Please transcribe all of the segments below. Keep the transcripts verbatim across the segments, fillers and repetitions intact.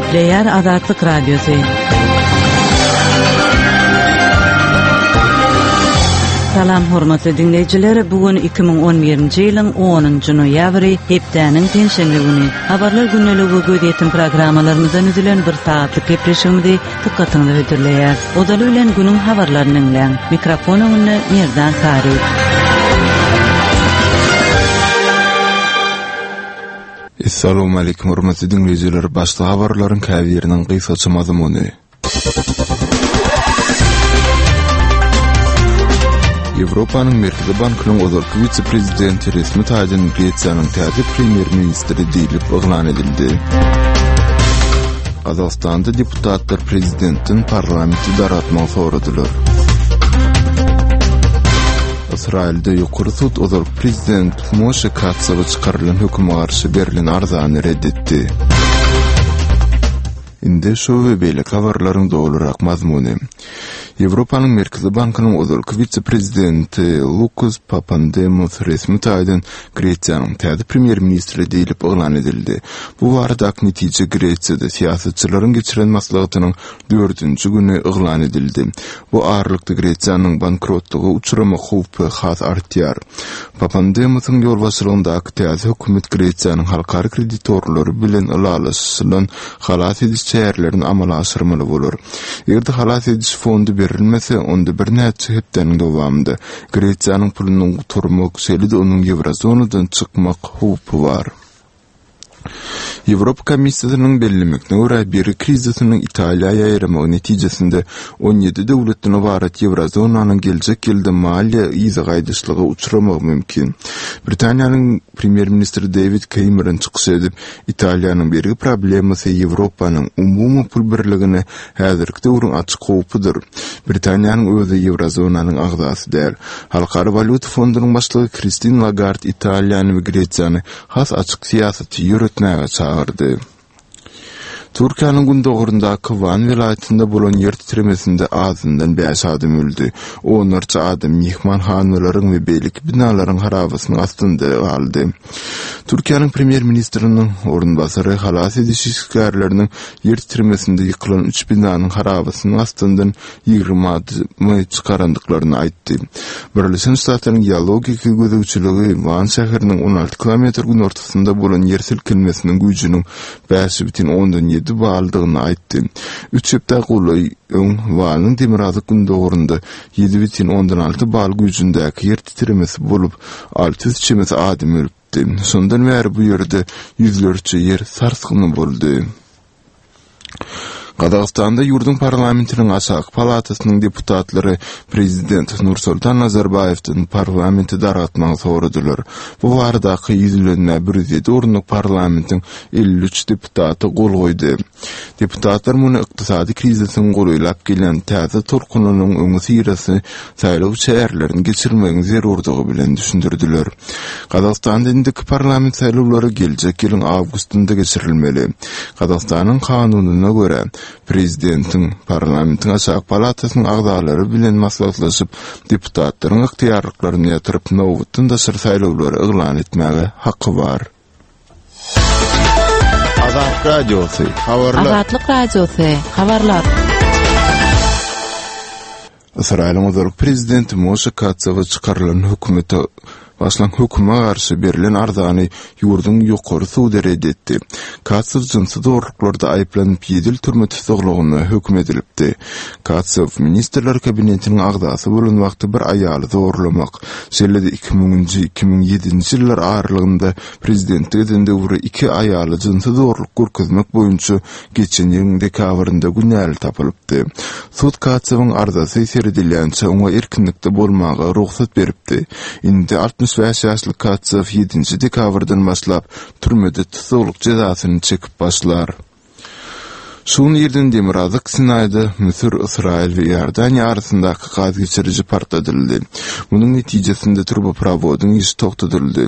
Gepleýär Azatlyk Radiosy. Salam hormatly diňleýjiler, bu gün iki müň on birinji ýylyň onunjy noýabry, hepdäniň penşenbe güni. Habarlar gündeligi we gözýetim programmalarymyzdan düzülen bir sagatlyk gepleşigimizi dykgatyňyza hödürleýär. Ozaly bilen günüň habarlaryny diňläň. Mikrofon öňünde Merdan Sary. Assalamu aleýkum hormatly diňleýjiler, başda habarlaryň käbiriniň gysgaça mazmuny. Ýewropanyň Merkezi Bankynyň ozalky wise-prezidenti resmi taýdan Gresiýanyň täze premýer-ministri diýlip yglan edildi. Gazagystanda deputatlar prezidentden parlamenti dargatmagy soradylar. Ysraýylda ýokary sud ozalky prezident Moşe Katsawa çykarylan höküme garşy berlen arzany red etdi. Indi şu we beýleki habarlaryň dolurak mazmuny. Ýewropanyň Merkezi Bankynyň ozalky wise-prezidenti Lukas Papandemos resmi taýdan Gresiýanyň täze premýer-ministri diýlip yglan edildi. Bu baradaky netije Gresiýada syýasatçylaryň geçiren maslahatynyň dördünji güni yglan edildi. Bu aralykda Gresiýanyň bankrotlyga uçramak howpy has artýar. Papandemosyň ýolbaşçylygyndaky täze hökümet Gresiýanyň halkara kreditorlary bilen ylalaşylan halas ediş çärelerini amala aşyrmaly bolar. Eger-de halas ediş fondy berilmese, onda birnäçe hepdäniň dowamynda Gresiýanyň pulunyň gutarmak, şeýle-de onuň ýewrozonadan çykmak howpy bar. Ýewropa Komissiýasynyň bellemegine görä, bergi krizisiniň Italiýa ýaýramagy netijesinde on ýedi döwletden ybarat ýewrozonanyň geljek ýylda maliýe yza gaýdyşlyga uçramagy mümkin. Britaniýanyň premýer-ministri Dewid Kemeron çykyş edip, Italiýanyň bergi problemasy Ýewropanyň umumy pul birligine häzirki döwrüň açyk howpudyr. Britaniýanyň özi ýewrozonanyň agzasy däl. Halkara walýuta fondunyň başlygy Kristin Lagard Italiýany we Gresiýany has açyk syýasaty ýöretmäge çagyrdy. Türkiýäniň gündogaryndaky Wan welaýatynda bolan ýer titremesinde azyndan bäş adam öldi. Onlarça adam myhmanhanalaryň we beýleki binalaryň harabasynyň astynda galdy. Türkiýäniň premýer-ministriniň orunbasary halas ediş işgärleriniň ýer titremesinde ýykylan üç binanyň harabasynyň astyndan ýigrimi adamy çykarandyklaryny aýtdy. Birleşen Ştatlaryň geologiki gözegçiligi Wan şäheriniň on alty kilometr günortasynda bolan ýer silkinmesiniň güýjüniň bäş bütin ondan ýedi baldygyny aýtdy. Üç hepde golaý öň Wanyň demirgazyk-gündogarynda ýedi bütin ondan alty bal güýjündäki ýer titremesi bolup, alty ýüz çemesi adam ölüpdi. Şondan bäri bu ýerde ýüzlerçe ýer sarsgyny boldy. Gazagystanda ýurduň parlamentiniň aşaky palatasynyň deputatlary prezident Nursultan Nazarbaýewden parlamenti dargatmagy soradylar. Bu baradaky ýüzlenmä bir ýüz ýedi orunlyk parlamentiň elli üç deputaty gol goýdy. Deputatlar muny ykdysady krizisiň golaýlap gelýän täze tolkunynyň öňüsyrasy saýlaw çärelerini geçirmegiň zerurdygy bilen düşündirdiler. Gazagystanda indiki parlament saýlawlary geljek ýylyň awgustynda geçirilmeli. Gazagystanyň kanunyna görä, prezidentiň, parlamentiň aşaky palatasynyň agzalary bilen maslahatlaşyp, deputatlaryň ygtyýarlyklaryny ýatyryp, nobatdan daşary saýlawlary yglan etmäge haky bar. Azatlyk Radiosy, habarlar. Azatlyk Radiosy, habarlar. Ysraýylyň ozalky prezidenti Moşe Katsawa çykarylan hökümete başlan höküme garşy berlen arzany ýurduň ýokary sudy red etdi. Katsow jynsy zorluklarda aýyplanyp ýedi ýyl türme tussaglygyna höküm edilipdi. Katsow ministrler kabinetiniň agzasy bolan wagty bir aýaly zorlamak, şeýle-de iki müňünji, iki müň ýedinji ýyllar aralygynda prezidentlik eden döwri iki aýaly jynsy zorluk görkezmek boýunça geçen ýylyň dekabrynda günäli tapylypdy. Sud Katsowyň arzasy seredilýänçä oňa erkinlikde bolmaga rugsat beripdi. Indi altmyş bäş ýaşly Katsow ýedinji dekabrdan başlap türmede tussaglyk jezasyny çekip başlar. Şu gün irden Demirgazyk Sinaýda Müsür, Ysraýyl we Iordaniýa arasyndaky gaz geçiriji partladyldy. Munuň netijesinde turboprowodyň işi togtadyldy.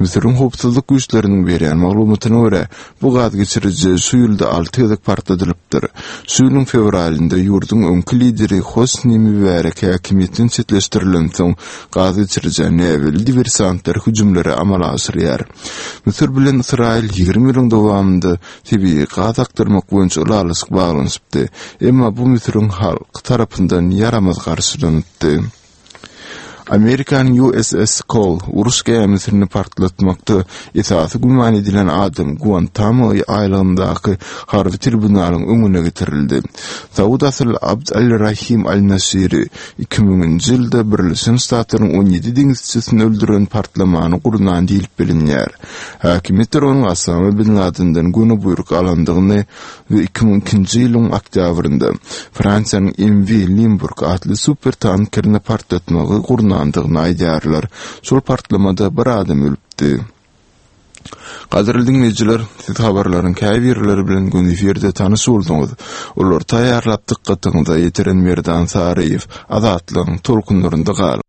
Müsüriň howpsuzlyk güýçleriniň berýän maglumatyna görä, bu gaz geçiriji şu ýylda alty gezek partladylypdy. başlapdyr. Şu ýylyň fewralynda ýurduň öňki lideri Hosni Mübärek häkimiýetden çetleşdirilensoň, gaz geçirijä näbelli diwersantlar hüjümleri amala aşyrýar. Müsür bilen Ysraýyl ýigrimi ýylyň dowamynda tebigy gaz akdyrmak boýunça ylalaşyk baglanyşypdy. Emma bu Müsüriň halky tarapyndan ýaramaz garşylanypdy. Amerikanyň U S S Cole uruş gämisini partlatmakda esasy güman edilen adam Guantamo aýlagyndaky harby tribunalyň öňüne getirildi. Saud asylly Abd al-Rahim al-Nasiri iki müňünji ýylda Birleşen Ştatlaryň on ýedi deňizçisini öldüren partlamany gurnan diýlip bilinýär. Häkimiýetler onuň Osama bin Ladenden göni buýruk alandygyny we iki müň ikinji ýylyň oktýabrynda Fransiýanyň M V Limburg atly super tankerini partlatmagy gurnandygyny aýdýarlar. Şol partlamada bir adam ölüpdi. Gadyrly dinleýjiler, siz habarlaryň käbirleri bilen gün efirde tanyş bolduňyz. Olar taýýarlap dykgatyňyza ýetiren Merdan Saryýew, Azatlygyň tolkunlarynda galyň.